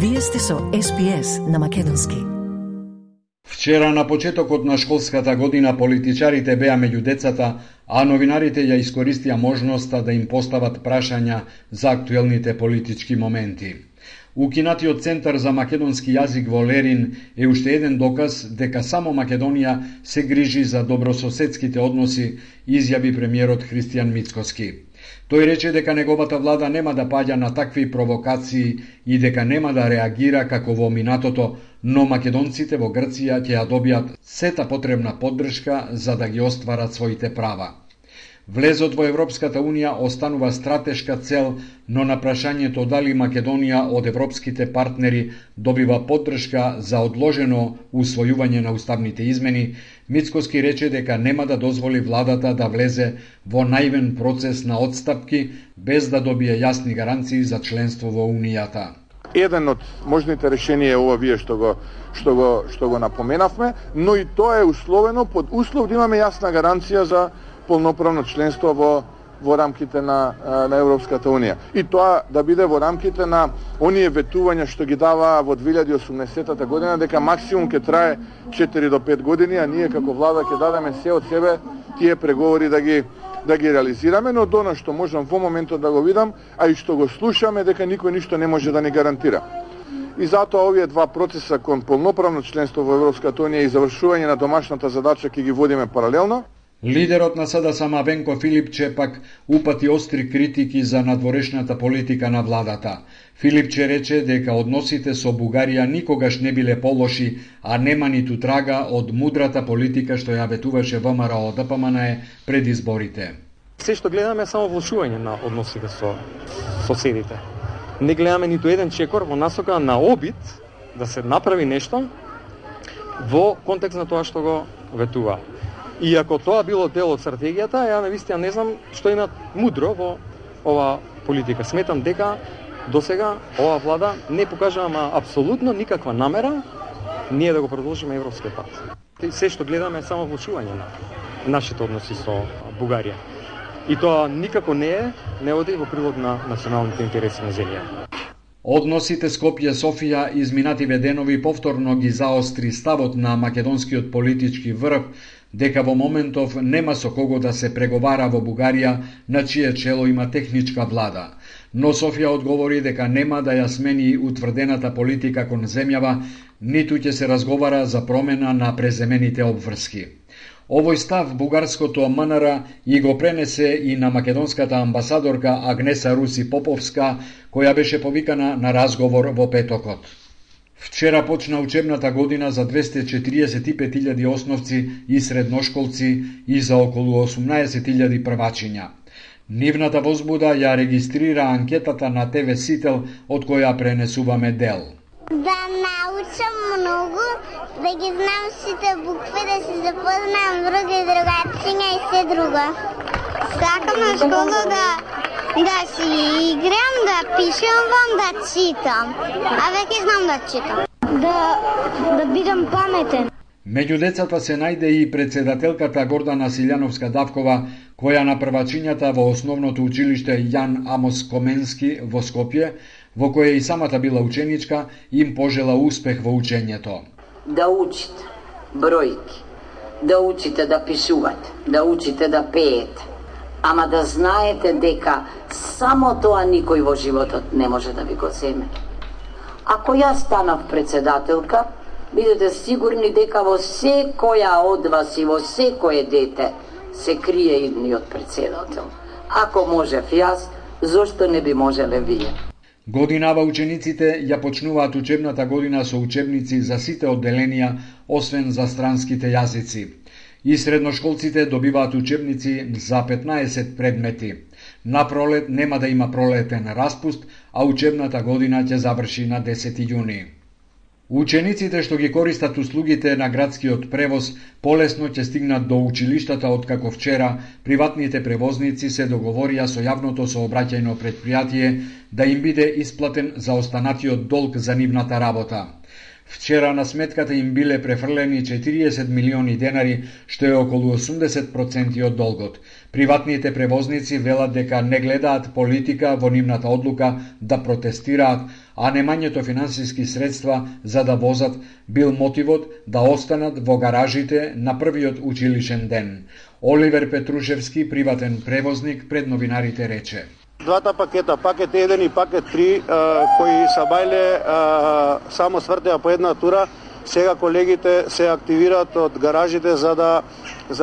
Вие сте со SPS на македонски. Вчера на почетокот на школската година политичарите беа меѓу децата, а новинарите ја искористија можноста да им постават прашања за актуелните политички моменти. Укинатиот Центар за македонски јазик во Лерин е уште еден доказ дека само Македонија се грижи за добрососедските односи, изјави премиерот Христијан Мицкоски. Тој рече дека неговата влада нема да паѓа на такви провокации и дека нема да реагира како во минатото, но македонците во Грција ќе ја добијат сета потребна поддршка за да ги остварат своите права. Влезот во Европската Унија останува стратешка цел, но на прашањето дали Македонија од европските партнери добива поддршка за одложено усвојување на уставните измени, Мицкоски рече дека нема да дозволи владата да влезе во наивен процес на отстапки без да добие јасни гаранции за членство во Унијата. Еден од можните решенија е ова вие што го напоменавме, но и тоа е условено под услов да имаме јасна гаранција за полноправно членство во рамките на Европската Унија. И тоа да биде во рамките на оние ветувања што ги дава во 2018 година, дека максимум ќе трае 4 до 5 години, а ние како влада ќе дадеме се од себе тие преговори да ги реализираме, но до она што можам во моментот да го видам, а и што го слушаме, дека никој ништо не може да ни гарантира. И затоа овие два процеса кон полноправно членство во Европската Унија и завршување на домашната задача ќе ги водиме паралелно. Лидерот на СДСМ Венко Филипче пак упати остри критики за надворешната политика на владата. Филипче рече дека односите со Бугарија никогаш не биле полоши, а нема ниту трага од мудрата политика што ја ветуваше ВМРО ДПМН пред изборите. Се што гледаме е само влошување на односите со соседите. Не гледаме ниту еден чекор во насока на обид да се направи нешто во контекст на тоа што го ветува. И ако тоа било дел од стратегијата, ја навистина не знам што има мудро во ова политика. Сметам дека досега ова влада не покажа апсолутно никаква намера ние да го продолжиме европскиот пат. Се што гледаме е само влошување на нашите односи со Бугарија. И тоа никако не оди во прилог на националните интереси на земјата. Односите Скопје-Софија изминативе денови повторно ги заостри ставот на македонскиот политички врв дека во моментов нема со кого да се преговара во Бугарија, на чие чело има техничка влада. Но Софија одговори дека нема да ја смени утврдената политика кон земјава, ниту ќе се разговара за промена на преземените обврски. Овој став бугарското МНР и го пренесе и на македонската амбасадорка Агнеса Руси Поповска, која беше повикана на разговор во петокот. Вчера почна учебната година за 245.000 основци и средношколци и за околу 18.000 првачиња. Нивната возбуда ја регистрира анкетата на ТВ Сител, од која пренесуваме дел. Да научам многу, да ги знам сите букви, да се запознам други другачиња и се друго. Сакам на школа да си играм, да пишувам, да читам. А веќе знам да читам. Да бидам паметен. Меѓу децата се најде и председателката Гордана Силјановска-Давкова, која на првачињата во основното училиште Јан Амос Коменски во Скопје, во која и самата била ученичка, им пожела успех во учењето. Да учите бројки, да учите да пишувате, да учите да пеете, ама да знаете дека само тоа никој во животот не може да ви го земе. Ако јас станав председателка, бидете сигурни дека во секоја од вас и во секое дете се крие идниот председател. Ако можев јас, зошто не би можеле вие? Годинава учениците ја почнуваат учебната година со учебници за сите одделенија, освен за странските јазици. И средношколците добиваат учебници за 15 предмети. На пролет нема да има пролетен распуст, а учебната година ќе заврши на 10 јуни. Учениците што ги користат услугите на градскиот превоз полесно ќе стигнат до училиштата, откако вчера приватните превозници се договорија со јавното сообраќајно претпријатие да им биде исплатен за останатиот долг за нивната работа. Вчера на сметката им биле префрлени 40 милиони денари, што е околу 80% од долгот. Приватните превозници велат дека не гледаат политика во нивната одлука да протестираат, а немањето финансиски средства за да возат бил мотивот да останат во гаражите на првиот училишен ден. Оливер Петрушевски, приватен превозник, пред новинарите рече: Двата пакета, пакет 1 и пакет 3, кои са бајле само свртеа по една тура, сега колегите се активираат од гаражите за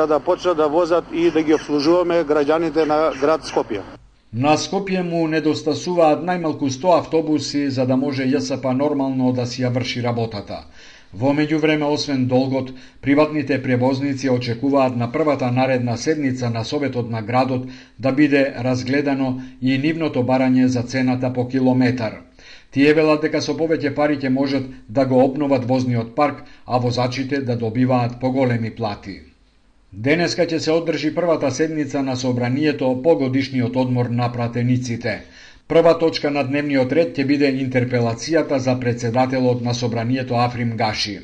да почнат да возат и да ги обслужуваме граѓаните на град Скопје. На Скопје му недостасуваат најмалку 100 автобуси за да може ЈСП нормално да си ја врши работата. Во меѓувреме, освен долгот, приватните превозници очекуваат на првата наредна седница на Советот на градот да биде разгледано и нивното барање за цената по километар. Тие велат дека со повеќе пари ќе можат да го обноват возниот парк, а возачите да добиваат поголеми плати. Денеска ќе се одржи првата седница на собранието по годишниот одмор на пратениците. Прва точка на дневниот ред ќе биде интерпелацијата за председателот на собранието Африм Гаши.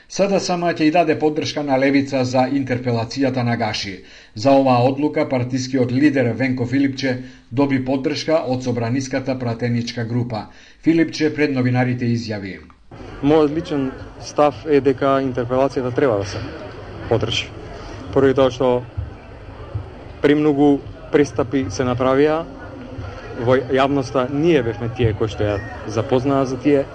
СДСМ ќе и даде поддршка на Левица за интерпелацијата на Гаши. За оваа одлука партискиот лидер Венко Филипче доби поддршка од собраниската пратеничка група. Филипче пред новинарите изјави: Мојот личен став е дека интерпелацијата треба да се поддржи. Поради тоа што премногу престапи се направија во јавноста, ние бевме тие кои што ја запознаа за тие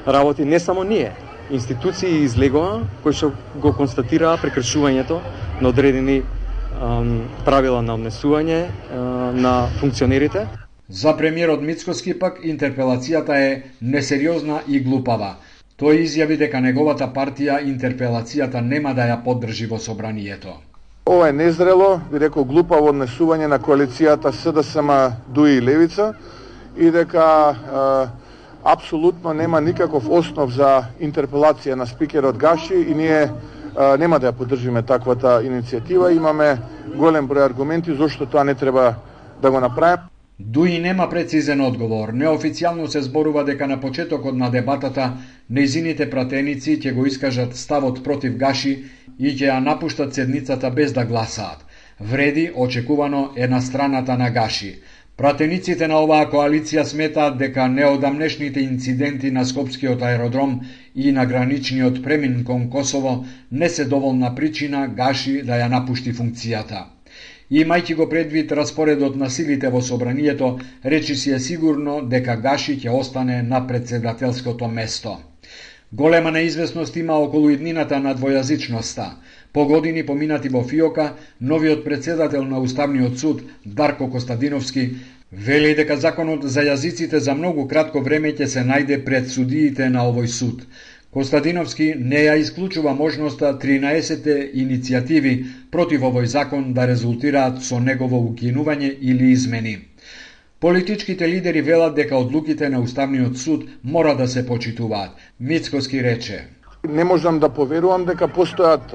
работи, не само ние, институции излегоа кои што го констатираа прекршувањето на одредени правила на однесување на функционерите. За премиерот Мицкоски пак интерпелацијата е несериозна и глупава. Тој изјави дека неговата партија интерпелацијата нема да ја поддржи во собранието. Ова е незрело, би рекол глупаво однесување на коалицијата СДСМ, ДУИ и Левица и дека апсолутно нема никаков основ за интерпелација на спикерот Гаши и ние нема да ја поддржиме таквата иницијатива. Имаме голем број аргументи зошто тоа не треба да го направиме. ДУИ нема прецизен одговор. Неофицијално се зборува дека на почетокот на дебатата нејзините пратеници ќе го искажат ставот против Гаши и ќе ја напуштат седницата без да гласаат. Вреди, очекувано, е на страната на Гаши. Пратениците на оваа коалиција сметаат дека неодамнешните инциденти на Скопскиот аеродром и на граничниот премин кон Косово не се доволна причина Гаши да ја напушти функцијата. Имајќи го предвид распоредот на силите во собранието, речи си е сигурно дека Гаши ќе остане на председателското место. Голема неизвестност има околу иднината на двојазичноста. По години поминати во ФИОКа, новиот председател на Уставниот суд, Дарко Костадиновски, вели дека законот за јазиците за многу кратко време ќе се најде пред судиите на овој суд. Костадиновски не ја исклучува можноста 13 иницијативи против овој закон да резултираат со негово укинување или измени. Политичките лидери велат дека одлуките на Уставниот суд мора да се почитуваат. Мицкоски рече: Не можам да поверувам дека постојат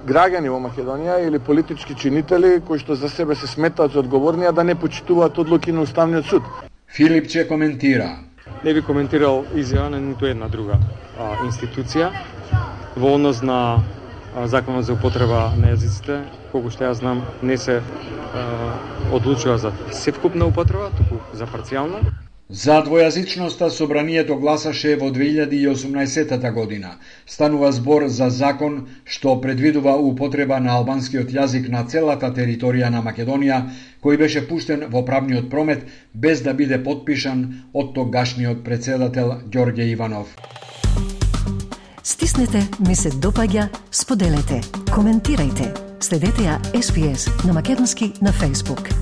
граѓани во Македонија или политички чинители кои што за себе се сметаат за одговорни, а да не почитуваат одлуки на Уставниот суд. Филипче коментира: Не би коментирал изјава на ниту една друга институција во однос на законот за употреба на јазиците. Колку што ја знам, не се одлучува за севкупна употреба, туку за парцијална. За двојазичноста собранието гласаше во 2018 година. Станува збор за закон што предвидува употреба на албанскиот јазик на целата територија на Македонија, кој беше пуштен во правниот промет без да биде потпишан од тогашниот председател Ѓорѓе Иванов. Стиснете, ми се допаѓа, споделете, коментирајте. Следете ја SPS на Македонски на Facebook.